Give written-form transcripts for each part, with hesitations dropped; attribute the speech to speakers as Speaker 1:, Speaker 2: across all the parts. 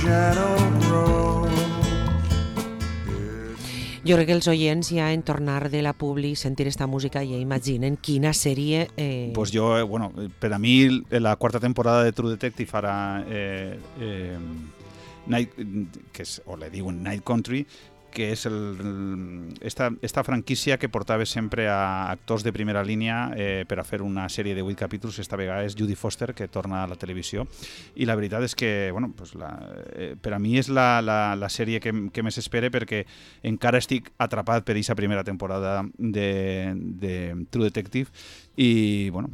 Speaker 1: shadow grows.
Speaker 2: Jo crec que els oients ja en tornar de la publi sentir esta música ja imaginen quina sèrie...
Speaker 3: Pues jo, bueno, per a mi la quarta temporada de True Detective ara Night, que és, o le diuen Night Country, que és esta franquícia que portava sempre a actors de primera línia per a fer una sèrie de 8 capítols. Esta vegada és Judy Foster, que torna a la televisió, i la veritat és que bueno, pues per a mi és la sèrie que més espere, perquè encara estic atrapat per aquesta primera temporada de True Detective, i bueno,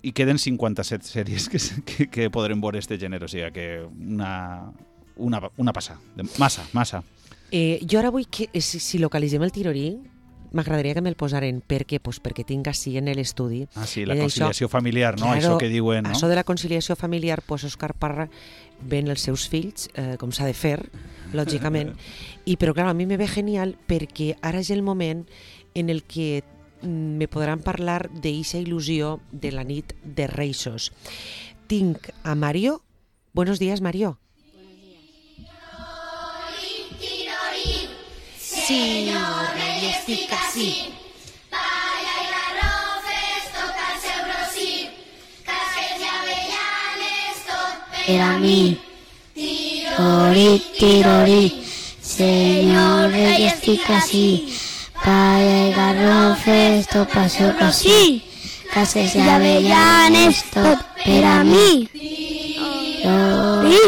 Speaker 3: i queden 57 sèries que podrem veure este gènere, o sigui que una passada, massa.
Speaker 2: Jo ara vull que, si localitzem el tirorí, m'agradaria que me'l posaren. Per què? Pues perquè tinc així en l'estudi.
Speaker 3: Ah, sí, la conciliació familiar, no?
Speaker 2: Claro,
Speaker 3: això que diuen, no?
Speaker 2: Això de la conciliació familiar, pues Òscar Parra ven els seus fills, com s'ha de fer, lògicament. Però, clar, a mi me ve genial perquè ara és el moment en el que me podran parlar d'eixa il·lusió de la nit de Reixos. Tinc a Mario. Buenos días, Mario.
Speaker 4: Senyor rei, estic ací. Palla i garrofes, tot el seu rossí. Casquets i avellanes, tot per a mi. Tirori, tirori, senyor rei, estic ací. Palla i garrofes, tot pel seu rossí. Casquets i avellanes, tot per a mi. Tirori,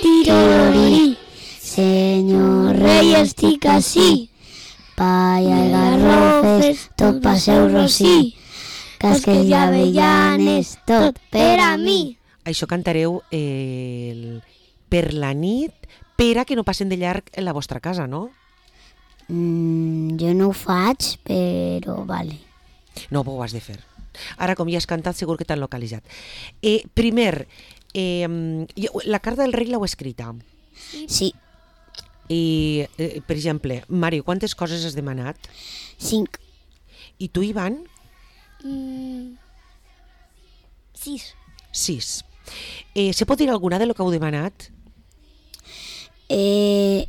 Speaker 4: tirori, senyor rei, estic ací. Palla i garrofes, tot pel seu rossí. Casquets i avellanes, tot per a mi.
Speaker 2: Això cantareu per la nit, per a que no passen de llarg en la vostra casa, no?
Speaker 4: Jo no ho faig, però vale.
Speaker 2: No, ho has de fer. Ara, com ja has cantat, segur que t'han localitzat. Primer, la carta del rei l'heu escrita.
Speaker 4: Sí.
Speaker 2: I, per exemple, Mario, quantes coses has demanat?
Speaker 4: 5.
Speaker 2: I tu, Ivan?
Speaker 4: 6.
Speaker 2: 6. Se pot dir alguna de lo que heu demanat?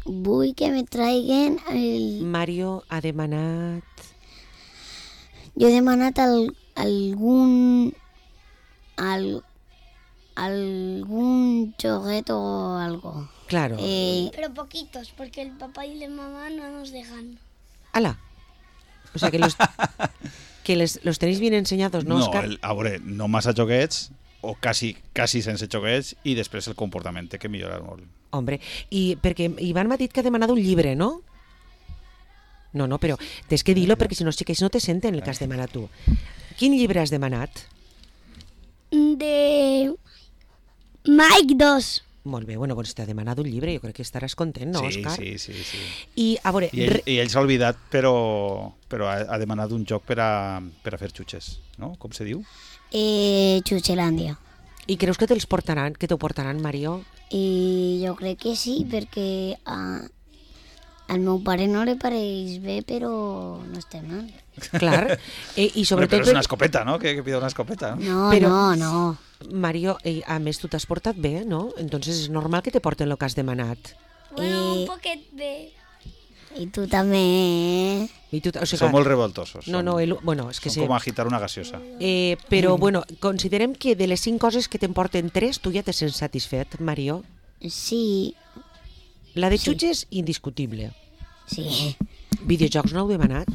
Speaker 4: Vull que me traiguen el...
Speaker 2: Mario ha demanat...
Speaker 4: Jo he demanat algun juguete o algo.
Speaker 2: Claro.
Speaker 5: Pero poquitos, porque el papá y la mamá no nos dejan.
Speaker 2: ¡Hala! O sea, que los tenéis bien enseñados, ¿no, Òscar?
Speaker 3: No, a veure, no massa joguets, o quasi sense joguets, i després el comportament té que millorar molt.
Speaker 2: Hombre, i perquè Ivan m'ha dit que ha demanat un llibre, no? No, però tens que dir-lo perquè si no els xiquets no te senten el que has demanat tu. Quin llibre has demanat?
Speaker 5: De Mike 2.
Speaker 2: Molt bé, bueno, doncs t'ha demanat un llibre, jo crec que estaràs content, no, Òscar?
Speaker 3: Sí.
Speaker 2: I, a veure...
Speaker 3: I ell s'ha oblidat, però ha demanat un joc per a fer xutxes, no? Com se diu?
Speaker 4: Xuxelàndia.
Speaker 2: I creus que t'ho portaran, Mario?
Speaker 4: I jo crec que sí, perquè al meu pare no li pareix bé, però no estem mal.
Speaker 2: Clar. I sobretot...
Speaker 3: Però és una escopeta, no? Que pida una escopeta, no?
Speaker 4: No.
Speaker 2: Mario, a més, tu t'has portat bé, no? Entonces és normal que te porten el que has demanat.
Speaker 5: Bueno, un poquet bé.
Speaker 4: I tu també.
Speaker 2: I tu, o sigui,
Speaker 3: Són molt revoltosos.
Speaker 2: No, bueno, és que
Speaker 3: són com agitar una gaseosa.
Speaker 2: Però, bueno, considerem que de les 5 coses que te'n porten 3, tu ja te sents satisfet, Mario?
Speaker 4: Sí.
Speaker 2: La de xutxes, indiscutible.
Speaker 4: Sí.
Speaker 2: Videojocs no heu demanat?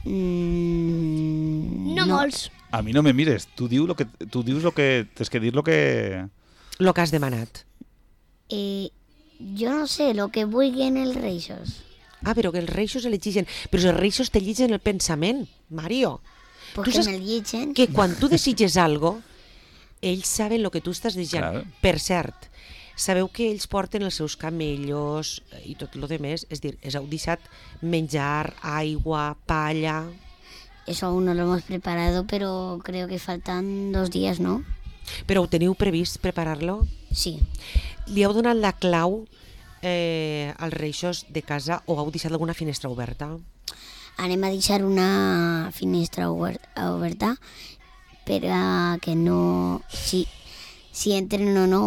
Speaker 5: No molts.
Speaker 3: A mi no me mires, tu dius lo que tens que dir lo que
Speaker 2: has demanat.
Speaker 4: Jo no sé, lo que vulguin els reixos.
Speaker 2: Però que els reixos elegeixen. Però els reixos te lligen el pensament, Mario.
Speaker 4: Perquè me'l lligen.
Speaker 2: Que quan tu desitges algo, ells saben el que tu estàs desitjant.
Speaker 3: Claro.
Speaker 2: Per cert, sabeu que ells porten els seus camellos i tot el demés, és dir, heu deixat menjar, aigua, palla...
Speaker 4: Eso aún no lo hemos preparado, pero creo que faltan 2 días, ¿no?
Speaker 2: Però ho teniu previst preparar-lo?
Speaker 4: Sí.
Speaker 2: Li heu donat la clau als reixos de casa o heu deixat alguna finestra oberta?
Speaker 4: Anem a deixar una finestra oberta per a que no...
Speaker 6: si entren o no,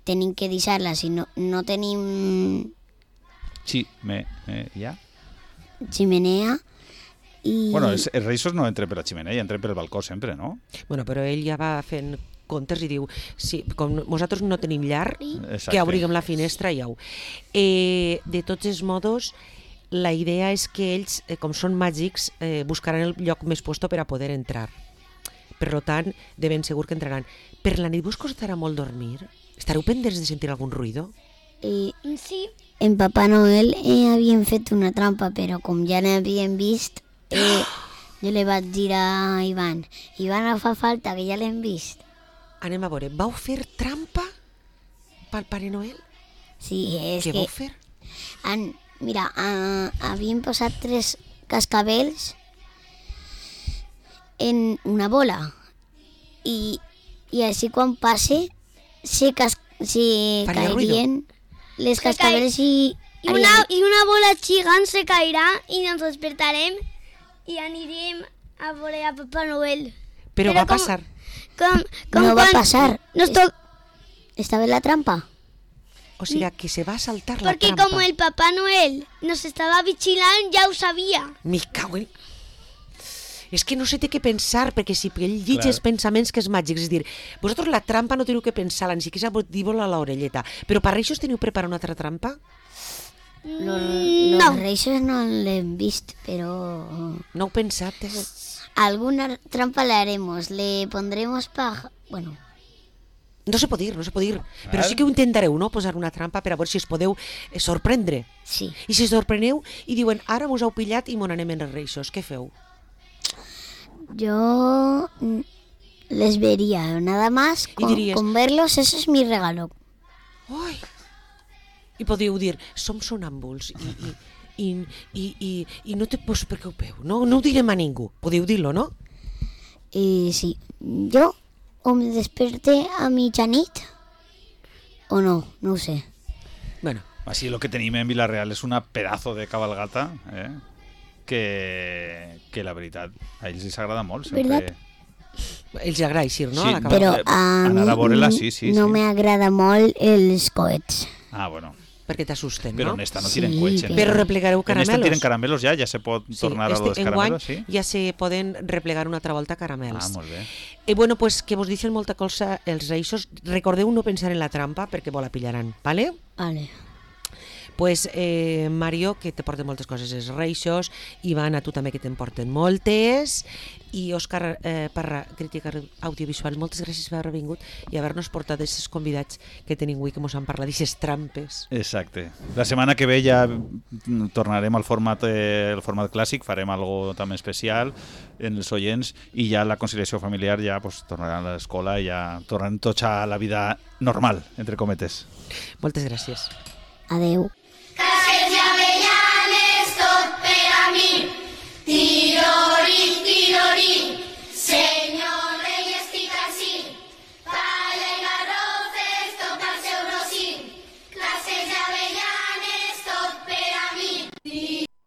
Speaker 6: tenim que deixar-la. Si no tenim
Speaker 3: ja?
Speaker 6: ximenea i...
Speaker 3: Bueno, els reixos no entren per la xemeneia, entren per el balcó sempre, no?
Speaker 2: Bueno, però ell ja va fent comptes i diu, sí, com nosaltres no tenim llar,
Speaker 3: Exacte.
Speaker 2: que obriguem la finestra i au. De tots els modos, la idea és que ells, com són màgics, buscaran el lloc més puesto per a poder entrar. Per tant, de ben segur que entraran. Per la nit vos costarà molt dormir? Estareu pendents de sentir algun ruïdo?
Speaker 5: Sí,
Speaker 6: En Papà Noel havien fet una trampa, però com ja n'havien vist, jo li vaig dir a Ivan, no fa falta, que ja l'hem vist.
Speaker 2: Anem a veure, vau fer trampa pel Pare Noel?
Speaker 6: Sí, és
Speaker 2: Què
Speaker 6: que...
Speaker 2: vau fer?
Speaker 6: Mira, havien posat 3 cascabels en una bola i així quan passe se
Speaker 2: Faria
Speaker 6: cairien les cascabels i...
Speaker 5: y una bola gigant se caerà i nos despertarem i anirem a veure a Papà Noel.
Speaker 2: Però va passar.
Speaker 6: No va passar.
Speaker 5: Nos to-
Speaker 6: Estava en la trampa.
Speaker 2: O sigui, que se va saltar la
Speaker 5: Porque
Speaker 2: trampa.
Speaker 5: como el Papá Noel nos estaba vigilando, ya ho sabía.
Speaker 2: Me cago en... És que no sé té què pensar, perquè si ell llig els pensaments que és màgics, és dir, vosaltres la trampa no teniu que pensar-la, ni siquiera dir-vos-la a l'orelleta, però per això teniu preparat una altra trampa?
Speaker 6: Los reixos no l'hem vist, però...
Speaker 2: No heu pensat?
Speaker 6: Alguna trampa le haremos, le pondremos Bueno,
Speaker 2: No se pot dir, però sí que ho intentareu, no?, posar una trampa per a veure si es podeu sorprendre.
Speaker 6: sí.
Speaker 2: I si es sorpreneu i diuen, ara mos heu pillat i mon anem en els reixos, què feu?
Speaker 6: Yo les vería, nada más,
Speaker 2: Y dirías-
Speaker 6: con verlos, eso es mi regalo.
Speaker 2: Ui! I podíeu dir, som sonàmbuls i no te pots preocupeu, no ho direm a ningú, podeu dir-lo, no?
Speaker 6: Sí, yo o me desperte a mitjanit o no ho sé.
Speaker 2: Bueno,
Speaker 3: Així el que tenim en Vila-real és una pedazo de cabalgata, que la veritat a ells els agrada molt. Sempre...
Speaker 6: ¿Verdad?
Speaker 2: els agrada eixir, no?
Speaker 3: Sí,
Speaker 2: A la
Speaker 6: Però
Speaker 2: cavalcada.
Speaker 6: a
Speaker 3: anar a veure-la,
Speaker 6: mi
Speaker 3: sí,
Speaker 6: no
Speaker 3: sí.
Speaker 6: m'agrada molt els coets.
Speaker 3: Ah, bueno.
Speaker 2: Perquè t'assusten,
Speaker 3: Però
Speaker 2: no?
Speaker 3: en esta no
Speaker 6: Sí,
Speaker 3: tiren coets.
Speaker 2: Però replegareu
Speaker 3: En esta
Speaker 2: caramelos.
Speaker 3: tiren caramelos ja se pot tornar a lo dels
Speaker 2: enguany
Speaker 3: caramelos, sí?
Speaker 2: ja se poden replegar una altra volta
Speaker 3: Ah,
Speaker 2: caramels.
Speaker 3: molt bé.
Speaker 2: Bueno, pues que vos dicen molta cosa els reixos. Recordeu no pensar en la trampa perquè vos la pillaran, ¿vale?
Speaker 6: Vale.
Speaker 2: Pues Mario, que te porten moltes coses els reixos, Ivan, a tu també que te'n porten moltes, i Òscar Parra, crítica audiovisual, moltes gràcies per haver vingut i haver-nos portat aquests convidats que tenim avui que mos han parlat d'aquestes trampes.
Speaker 3: Exacte. La setmana que ve ja tornarem al format clàssic, farem algo també especial en els oients i ja la conciliació familiar ja pues, tornarà a l'escola i ja tornarem tots a la vida normal, entre cometes.
Speaker 2: Moltes gràcies.
Speaker 6: Adeu.